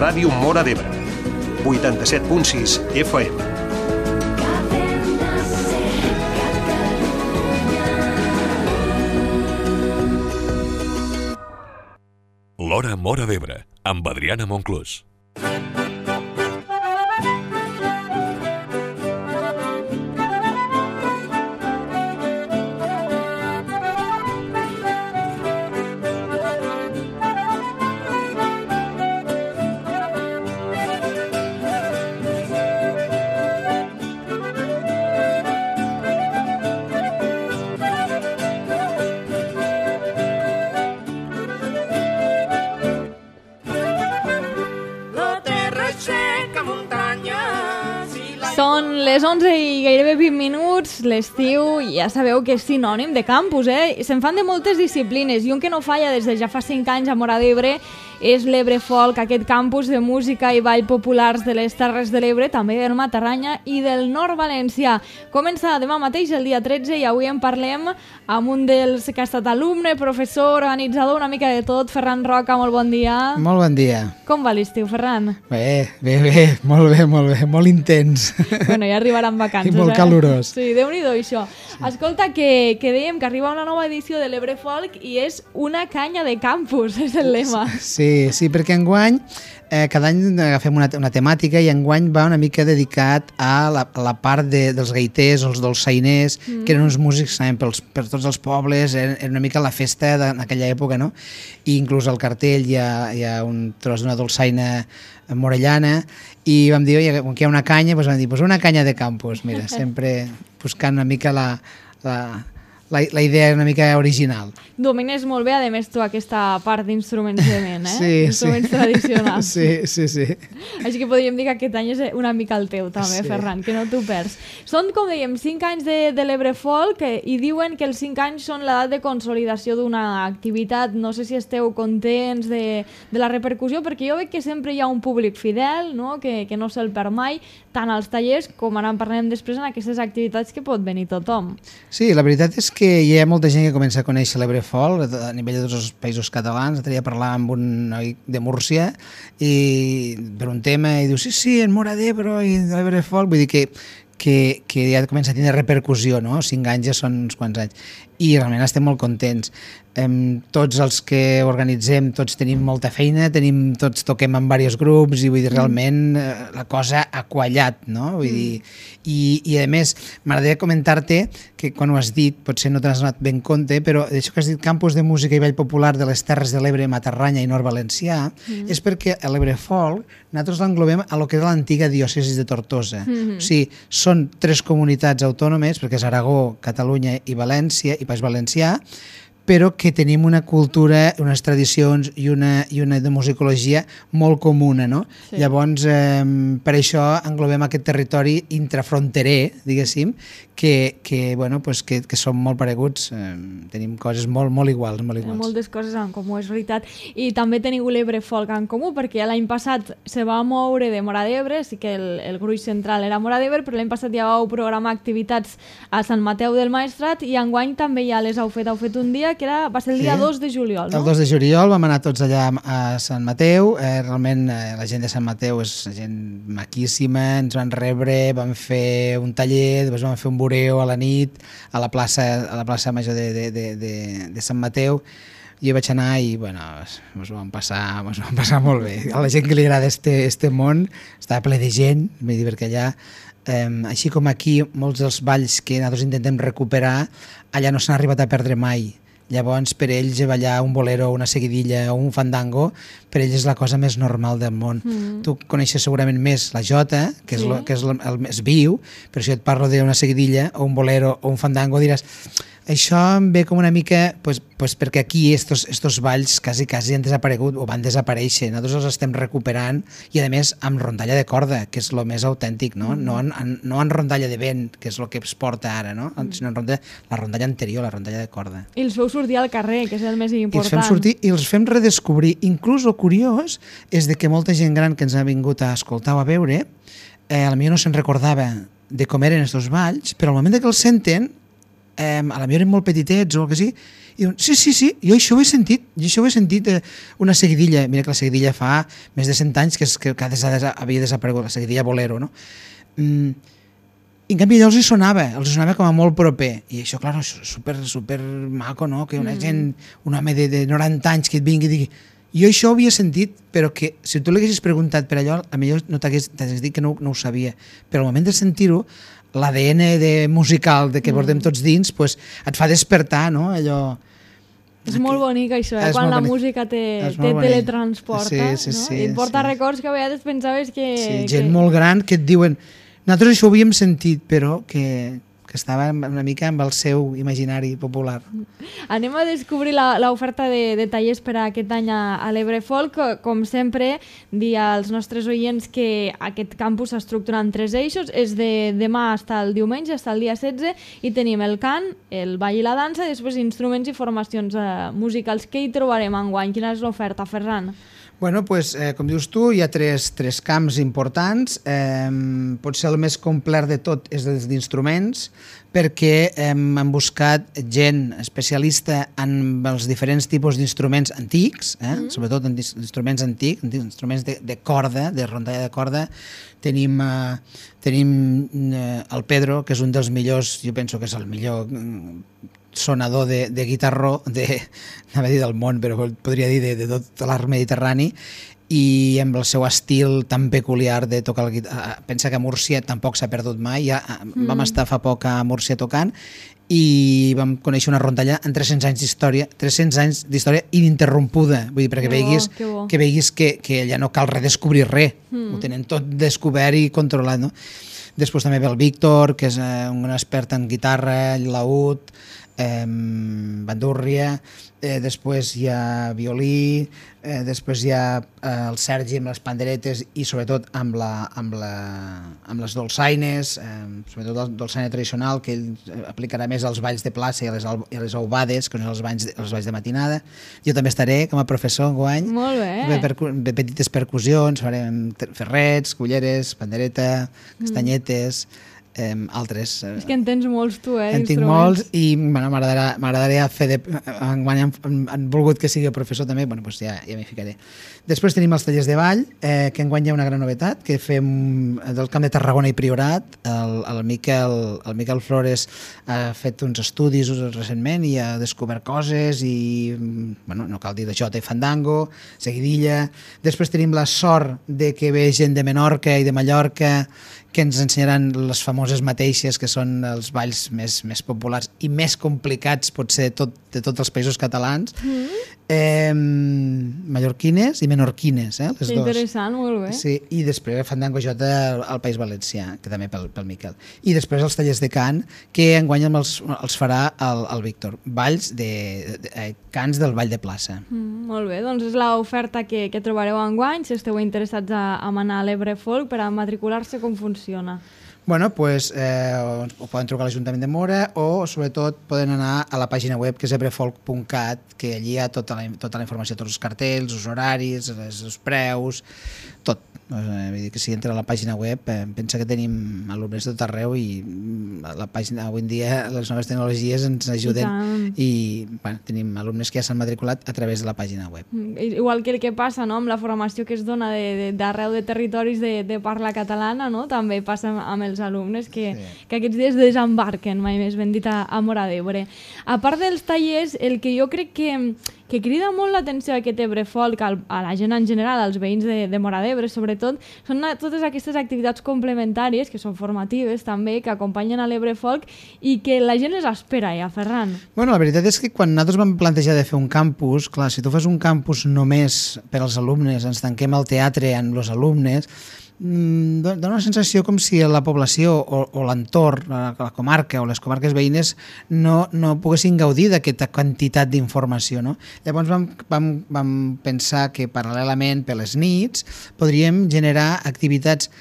Ràdio Móra d'Ebre, 87.6 FM. L'Hora Móra d'Ebre, amb Adriana Monclús. Són les 11 i gairebé 20 minuts, l'estiu ja sabeu que és sinònim de campus, Se'n fan de moltes disciplines i un que no falla des de ja fa 5 anys a Móra d'Ebre és l'Ebre Folk, aquest campus de música i ball populars de les Terres de l'Ebre, també del Matarranya i del Nord Valencià. Comença demà mateix, el dia 13, i avui en parlem amb un dels que ha estat alumne, professor, organitzador, una mica de tot, Ferran Roca, molt bon dia. Molt bon dia. Com va l'estiu, Ferran? Bé, molt intens. Bueno, ja arribaran vacances. I molt calorós. Sí, Déu-n'hi-do, això. Sí. Escolta, que dèiem que arriba una nova edició de l'Ebre Folk i és una canya de campus, és el lema. Sí, perquè enguany cada any agafem una temàtica i enguany va una mica dedicat a la part dels gaiters o els dolçainers, que eren uns músics per tots els pobles, era una mica la festa d'aquella època, no? I inclús al cartell hi ha un tros d'una dolçaina morellana i vam dir, com que hi ha una canya, vam dir, una canya de campus, mira, sempre buscant una mica la idea una mica original. Domines molt bé, a més, tu, aquesta part d'instruments de vent, Sí, instruments tradicionals. Sí. Així que podríem dir que aquest any és una mica el teu, també, sí. Ferran, que no t'ho perds. Són, com dèiem, 5 anys de l'Ebre Folk i diuen que els 5 anys són l'edat de consolidació d'una activitat. No sé si esteu contents de la repercussió, perquè jo veig que sempre hi ha un públic fidel, no? Que no se'l perd mai, tant als tallers com ara en parlem després en aquestes activitats que pot venir tothom. Sí, la veritat és que hi ha molta gent que comença a conèixer l'Ebre Folk a nivell de tots els països catalans. L'altre dia parlar amb un noi de Múrcia i per un tema i diu, sí, en Móra d'Ebre i l'Ebre Folk, vull dir que ja comença a tenir repercussió, no? 5 anys ja són uns quants anys i realment estem molt contents. Tots els que organitzem, tots tenim molta feina, tots toquem en diversos grups i vull dir, realment la cosa ha quallat, no? Vull dir, i a més, m'agradaria comentar-te que quan ho has dit, potser no te n'has donat ben compte, però d'això que has dit campus de música i ball popular de les Terres de l'Ebre, Matarranya i Nord Valencià, és perquè a l'Ebre Folk nosaltres l'englobem a lo que era l'antiga diòcesi de Tortosa. O sigui, són 3 comunitats autònomes, perquè és Aragó, Catalunya i València, i País Valencià, però que tenim una cultura, unes tradicions i una de musicologia molt comuna, no? Sí. Llavors, per això englobem aquest territori intrafronterer, diguéssim, que són molt pareguts, tenim coses molt iguals. Moltes coses en comú, és veritat. I també teniu l'Ebre Folk en comú, perquè l'any passat se va moure de Móra d'Ebre, sí que el gruix central era Móra d'Ebre, però l'any passat ja vau programar activitats a Sant Mateu del Maestrat i enguany també ja les heu fet un dia, que va ser el dia 2 de juliol, no? El 2 de juliol vam anar tots allà a Sant Mateu, realment la gent de Sant Mateu és gent maquíssima, ens van rebre, vam fer un taller, després vam fer un voreo a la nit a la plaça Major de Sant Mateu. Jo vaig anar i ens ho vam passar molt bé. A la gent que li agrada este món estava ple de gent, vull dir, perquè allà així com aquí molts dels balls que nosaltres intentem recuperar allà no s'han arribat a perdre mai. Llavors, per ells, ballar un bolero, una seguidilla o un fandango, per ells és la cosa més normal del món. Tu coneixes segurament més la jota, que és el més viu, però si et parlo d'una seguidilla o un bolero o un fandango diràs això em ve com una mica perquè aquí estos balls quasi han desaparegut o van desaparèixer. Nosaltres els estem recuperant i a més amb rondalla de corda, que és el més autèntic, no? No en rondalla de vent, que és el que es porta ara, no? Sinó la rondalla anterior, la rondalla de corda. I els feu sortir al carrer, que és el més important. I els fem sortir i els fem redescobrir. Inclús el curiós és de que molta gent gran que ens ha vingut a escoltar o a veure potser no se'n recordava de com eren estos balls, però al moment que els senten a la millor eren molt petitets o el que sigui, i diuen, sí, jo això ho he sentit, una seguidilla, mira que la seguidilla fa més de 100 anys que havia desaparegut, la seguidilla Bolero, no? I en canvi allò els sonava com a molt proper, i això, clar, és super maco, no? Que una gent, un home de 90 anys que et vingui i digui, jo això ho havia sentit, però que si tu l'haguessis preguntat per allò, a millor no t'hagués dit que no ho sabia, però al moment de sentir-ho, l'ADN musical que portem tots dins pues, et fa despertar, no? Allò... És molt bonic això, quan la música te teletransporta, no? I et porta records que a vegades pensaves que... Sí, gent molt gran que et diuen nosaltres això ho havíem sentit, però que estava una mica amb el seu imaginari popular. Anem a descobrir l'oferta de tallers per a aquest any a l'Ebre Folk. Com sempre, dir als nostres oients que aquest campus s'estructura en 3 eixos. És de demà fins al diumenge, fins al dia 16, i tenim el cant, el ball i la dansa, i després instruments i formacions musicals. Què hi trobarem enguany? Quina és l'oferta, Ferran? Bueno, pues, com dius tu, hi ha tres camps importants. Potser el més complet de tot és els d'instruments, perquè hem buscat gent especialista en els diferents tipus d'instruments antics, sobretot en instruments antics, instruments de corda, de rondalla de corda. Tenim el Pedro, que és un dels millors, jo penso que és el millor sonador de guitarró anava a dir del món, però podria dir de tot l'arc mediterrani, i amb el seu estil tan peculiar de tocar el guitarra. Pensa que a Múrcia tampoc s'ha perdut mai, vam estar fa poc a Múrcia tocant i vam conèixer una rondalla amb 300 anys d'història ininterrompuda, vull dir, perquè veiguis que allà no cal redescobrir res, ho tenen tot descobert i controlat, no? Després també ve el Víctor, que és un expert en guitarra, laúd, bandúrria, després hi ha violí, després hi ha el Sergi amb les panderetes i sobretot amb les dolçaines, sobretot el dolçaine tradicional, que ell aplicarà més als balls de plaça i a les aubades, que són els balls de matinada. Jo també estaré com a professor enguany. Molt bé. De petites percussions, farem ferrets, culleres, pandereta, castanyetes, altres. És que en tens molts tu, en tinc molts i m'agradaria fer enguany han volgut que sigui el professor també, bueno, doncs ja m'hi ficaré. Després tenim els tallers de ball, que enguany hi ha una gran novetat, que fem del Camp de Tarragona i Priorat. El Miquel Flores ha fet uns estudis recentment i ha descobert coses i, bueno, no cal dir de jota i fandango, seguidilla. Després tenim la sort de que ve gent de Menorca i de Mallorca que ens ensenyaran les famoses mateixes, que són els balls més populars i més complicats, potser, de tots els països catalans. Mallorquines i menorquines, les dues. Interessant, molt bé. Sí, i després fandango jota al País Valencià, que també pel Miquel. I després els tallers de cant, que enguany els farà el Víctor. Cants del ball de plaça. Molt bé, doncs és l'oferta que trobareu enguany, si esteu interessats a anar a l'Ebre Folk per a matricular-se, com funciona? Bueno, doncs ho poden trucar a l'Ajuntament de Móra o sobretot poden anar a la pàgina web que és ebrefolk.cat, que allí hi ha tota la informació, tots els cartells, els horaris, els preus, tot. Vull dir que si entra a la pàgina web pensa que tenim alumnes de tot arreu i la pàgina avui en dia les noves tecnologies ens ajuden i bueno, tenim alumnes que ja s'han matriculat a través de la pàgina web. Igual que el que passa, no?, amb la formació que es dona d'arreu de territoris de parla catalana, no?, també passa amb els alumnes que aquests dies desembarquen, mai més ben dit, a Móra d'Ebre. A part dels tallers, el que jo crec que crida molt l'atenció a aquest Ebre Folk, a la gent en general, als veïns de Móra d'Ebre sobretot, són totes aquestes activitats complementàries, que són formatives també, que acompanyen a l'Ebre Folk i que la gent les espera ja, Ferran. Bueno, la veritat és que quan nosaltres vam plantejar de fer un campus, clar, si tu fas un campus només per als alumnes, ens tanquem al teatre amb els alumnes, dona una sensació com si la població o l'entorn, la comarca o les comarques veïnes no poguessin gaudir d'aquesta quantitat d'informació, no? Llavors vam pensar que paral·lelament per les nits podríem generar activitats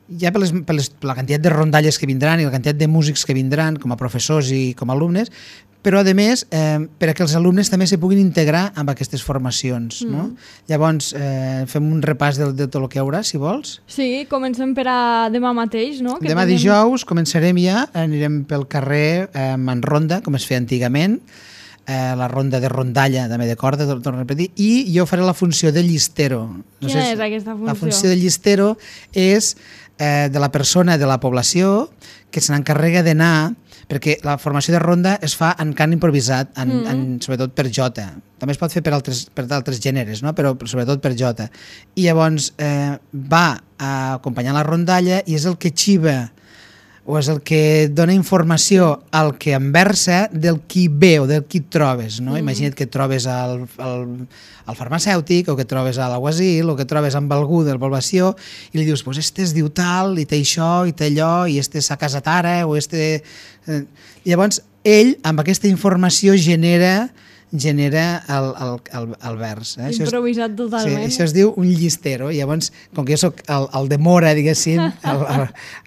ja per la quantitat de rondalles que vindran i la quantitat de músics que vindran com a professors i com a alumnes, però a més per a que els alumnes també se puguin integrar amb aquestes formacions. No? Llavors fem un repàs de tot el que hi haurà, si vols. Sí, comencem per a demà mateix, no? Que demà dijous començarem ja, anirem pel carrer en ronda, com es feia antigament, la ronda de rondalla, també de corda, torno a repetir, i jo faré la funció de llistero. Quina és aquesta funció? La funció de llistero és de la persona de la població que se n'encarrega d'anar, perquè la formació de ronda es fa en cant improvisat, sobretot per jota. També es pot fer per altres gèneres, no? Però sobretot per jota. I llavors va a acompanyar la rondalla i és el que xiva o és el que dona informació al que enversa del qui ve o del qui et trobes. No? Imagina't que et trobes al farmacèutic o que et trobes a l'aguasil o que et trobes amb algú de la població i li dius, pues este es diu tal i té això i té allò i este s'ha casat ara o este... Llavors ell amb aquesta informació genera el vers. Improvisat totalment. Sí, això es diu un llistero. Llavors, com que jo soc el de Mora, diguéssim,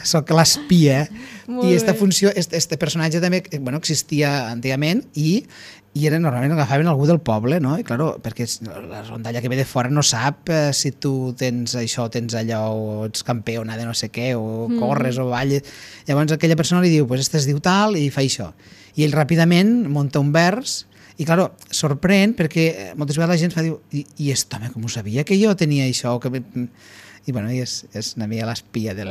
soc l'espia, i aquesta funció, este personatge també existia antigament i normalment agafaven algú del poble, no? I claro, perquè la rondalla que ve de fora no sap si tu tens això, tens allò, o ets campiona de no sé què, o corres o balles. Llavors aquella persona li diu, pues este es diu tal i fa això. I ell ràpidament munta un vers. I, clar, sorprèn perquè moltes vegades la gent fa, diu, i aquest home com ho sabia que jo tenia això? I és una mica l'espia de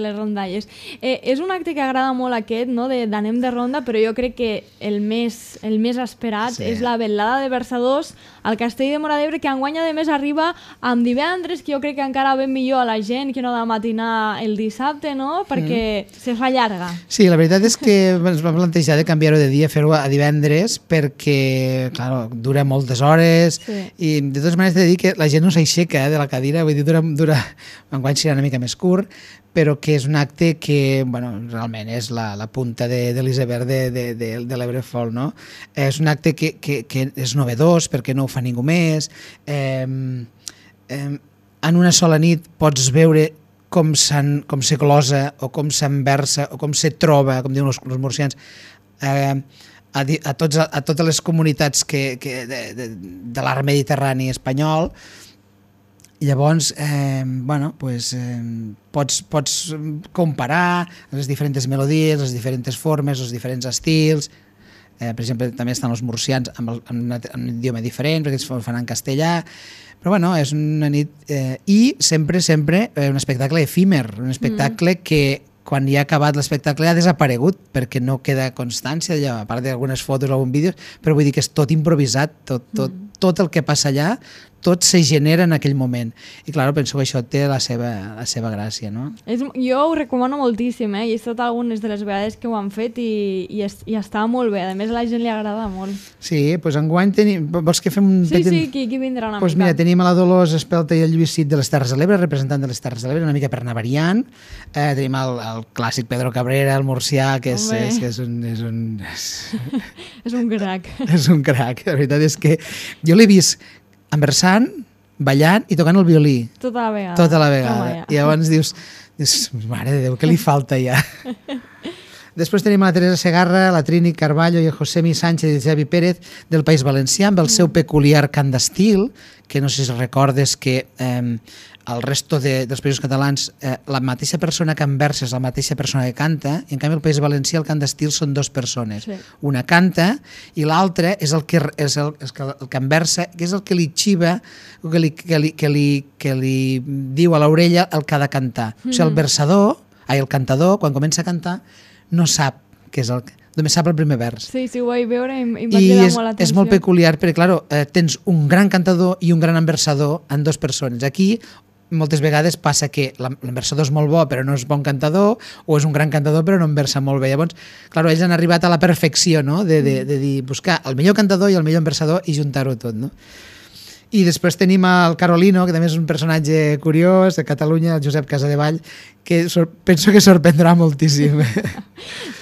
les rondalles. És un acte que agrada molt aquest, no? D'anem de ronda, però jo crec que el més esperat és la vetllada de versadors al Castell de Móra d'Ebre, que enguany a més arriba amb divendres, que jo crec que encara ve millor a la gent que no de matinar el dissabte, no? Perquè se fa llarga. Sí, la veritat és que ens vam plantejar de canviar-ho de dia, fer-ho a divendres, perquè, clar, dura moltes hores i de totes maneres he de dir que la gent no s'aixeca de la cadira, vull dir, enguany serà una mica més curt, però que és un acte que realment és la punta de l'iceberg de l'Ebre Folk, no? És un acte que és novedós perquè no ho fa ningú més. En una sola nit pots veure com se glosa o com s'enversa o com se troba, com diuen els murcians, a totes les comunitats de l'art mediterrani espanyol. Llavors, pots comparar les diferents melodies, les diferents formes, els diferents estils. Per exemple, també estan els murcians amb un idioma diferent, perquè es fan en castellà. Però és una nit... I sempre un espectacle efímer, un espectacle que quan ja ha acabat l'espectacle ha desaparegut perquè no queda constància allò, a part d'algunes fotos o algun vídeo, però vull dir que és tot improvisat, tot el que passa allà, tot se genera en aquell moment. I clar, penso que això té la seva gràcia, no? Jo ho recomano moltíssim, i he estat algunes de les vegades que ho han fet i està molt bé. A més, a la gent li agrada molt. Sí, doncs enguany tenim... Vols que fem un petit... Sí, qui vindrà una mica? Doncs mira, tenim a la Dolors Espelta i el Lluís Cid de les Terres de l'Ebre, representant de les Terres de l'Ebre, una mica per anar variant. Tenim el clàssic Pedro Cabrera, el murcià, que és un... És un crac. És un crac. La veritat és que jo l'he vist enversant, ballant i tocant el violí. Tota la vegada. I llavors dius, mare de Déu, què li falta ja? Després tenim la Teresa Segarra, la Trini Carballo i el Josemi Sánchez i el Javi Pérez del País Valencià amb el seu peculiar cant d'estil, que no sé si recordes que al resto dels països catalans la mateixa persona que enversa és la mateixa persona que canta, i en canvi al País Valencià el cant d'estil són dues persones. Sí. Una canta i l'altra és el que enversa, que és el que li xiva, que li diu a l'orella el que ha de cantar. O sigui, el cantador, quan comença a cantar, no sap què és el que... Només sap el primer vers. Sí, ho vaig veure i em va cridar molt l'atenció. És molt peculiar perquè, clar, tens un gran cantador i un gran enversador en dues persones. Aquí moltes vegades passa que l'enversador és molt bo però no és bon cantador, o és un gran cantador però no enversa molt bé. Llavors, clar, ells han arribat a la perfecció, no? de dir, buscar el millor cantador i el millor enversador i juntar-ho tot, no? I després tenim el Carolino, que també és un personatge curiós, de Catalunya, el Josep Casadevall, que penso que sorprendrà moltíssim.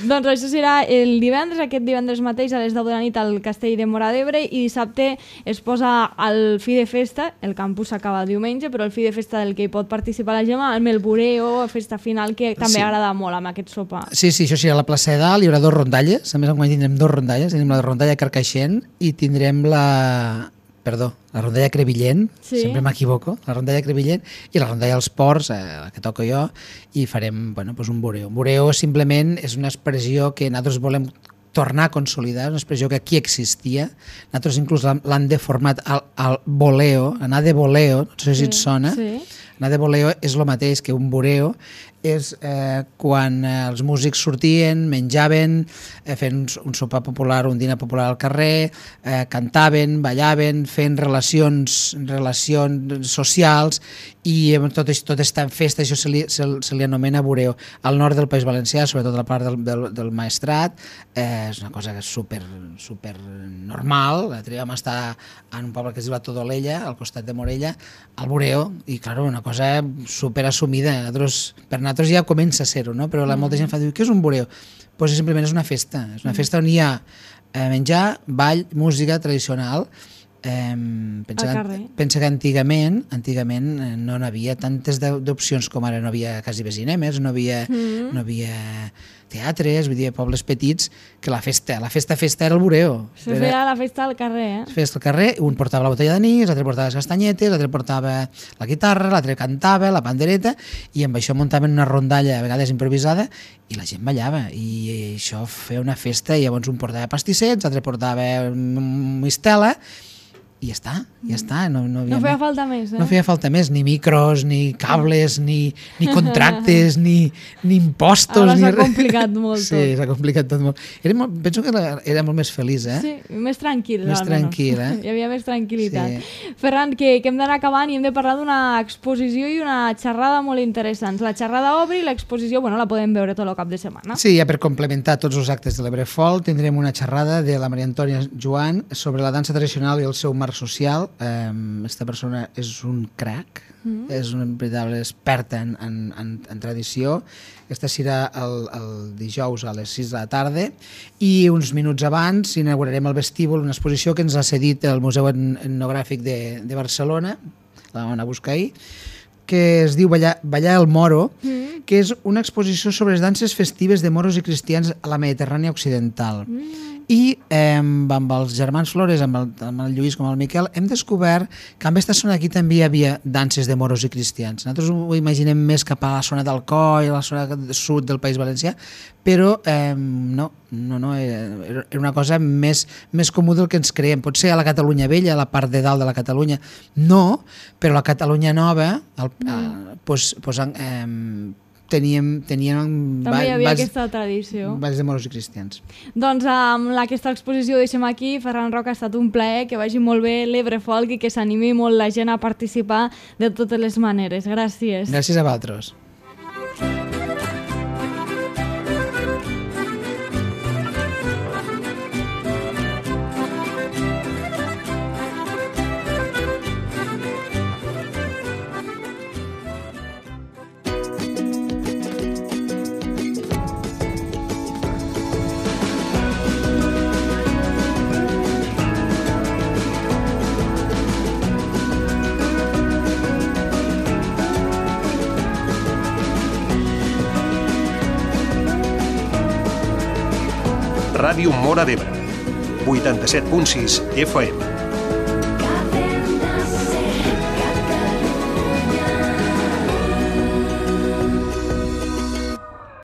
Doncs això serà el divendres, aquest divendres mateix a les 10 de la nit al Castell de Móra d'Ebre, i dissabte es posa el fi de festa, el campus s'acaba el diumenge, però el fi de festa del que hi pot participar la Gemma, amb el bureo, festa final, que també agrada molt amb aquest sopar. Sí, això serà a la plaça de Dalt, hi haurà 2 rondalles, a més enguany tindrem 2 rondalles, tenim la rondalla Carcaixent i tindrem la rondalla Crevillent, sempre m'equivoco, la rondalla Crevillent i la rondalla Els Ports, la que toco jo, i farem un bureo. Un bureo simplement és una expressió que nosaltres volem tornar a consolidar, una expressió que aquí existia. Nosaltres inclús l'han deformat al boleo, anar de boleo, no sé si et sona. Anar de boleo és el mateix que un bureo, és quan els músics sortien, menjaven, fent un sopar popular, un dinar popular al carrer, cantaven, ballaven, fent relacions socials, i tot està en festa, això se li anomena bureo. Al nord del País Valencià, sobretot a la part del Maestrat, és una cosa super normal. L'altre dia vam estar en un poble que es diu la Todolella, al costat de Morella, al bureo, i clar, una cosa super assumida. Per nosaltres ja comença a ser-ho, no? Però molta gent fa dir, què és un bureo? Doncs simplement és una festa on hi ha menjar, ball, música tradicional. Pensa que antigament no hi havia tantes d'opcions com ara, no havia quasi cinemes, no havia teatres, vull dir, pobles petits, que la festa era el bureo. Se feia la festa al carrer, Festa al carrer, un portava la botella d'anís, l'altre portava les castanyetes, l'altre portava la guitarra, l'altre cantava, la pandereta, i amb això muntaven una rondalla, a vegades improvisada, i la gent ballava, i això feia una festa, i llavors un portava pastissets, l'altre portava mistela, i ja està. No feia falta més, No feia falta més, ni micros, ni cables, ni contractes, ni impostos. Ara s'ha complicat molt tot. Sí, s'ha complicat tot molt. Penso que era molt més feliç, Sí, més tranquil. Més tranquil, Hi havia més tranquil·litat. Ferran, que hem d'anar acabant i hem de parlar d'una exposició i una xerrada molt interessants. La xerrada obre i l'exposició, la podem veure tot el cap de setmana. Sí, ja per complementar tots els actes de l'Ebrefol, tindrem una xerrada de la Maria Antònia Joan sobre la dansa tradicional i el seu marc social. Aquesta persona és un crac, és una veritable experta en tradició. Aquesta serà el dijous a les 6 de la tarda, i uns minuts abans inaugurarem el vestíbul, una exposició que ens ha cedit el Museu Etnogràfic de Barcelona, la vam anar a buscar ahir, que es diu Ballar el Moro, que és una exposició sobre les danses festives de moros i cristians a la Mediterrània Occidental. I amb els germans Flores, amb el Lluís com el Miquel, hem descobert que en aquesta zona aquí també hi havia danses de moros i cristians. Nosaltres ho imaginem més cap a la zona d'Alcoi, a la zona sud del País Valencià, però no, era una cosa més comú del que ens creiem. Potser a la Catalunya Vella, a la part de dalt de la Catalunya, no, però a la Catalunya Nova tenien també hi havia aquesta tradició. Balls de moros i cristians. Doncs amb aquesta exposició deixem aquí. Ferran Roca, ha estat un plaer, que vagi molt bé l'Ebrefolk i que s'animi molt la gent a participar de totes les maneres. Gràcies. Gràcies a vosaltres. Ràdio Móra d'Ebre, 87.6 FM.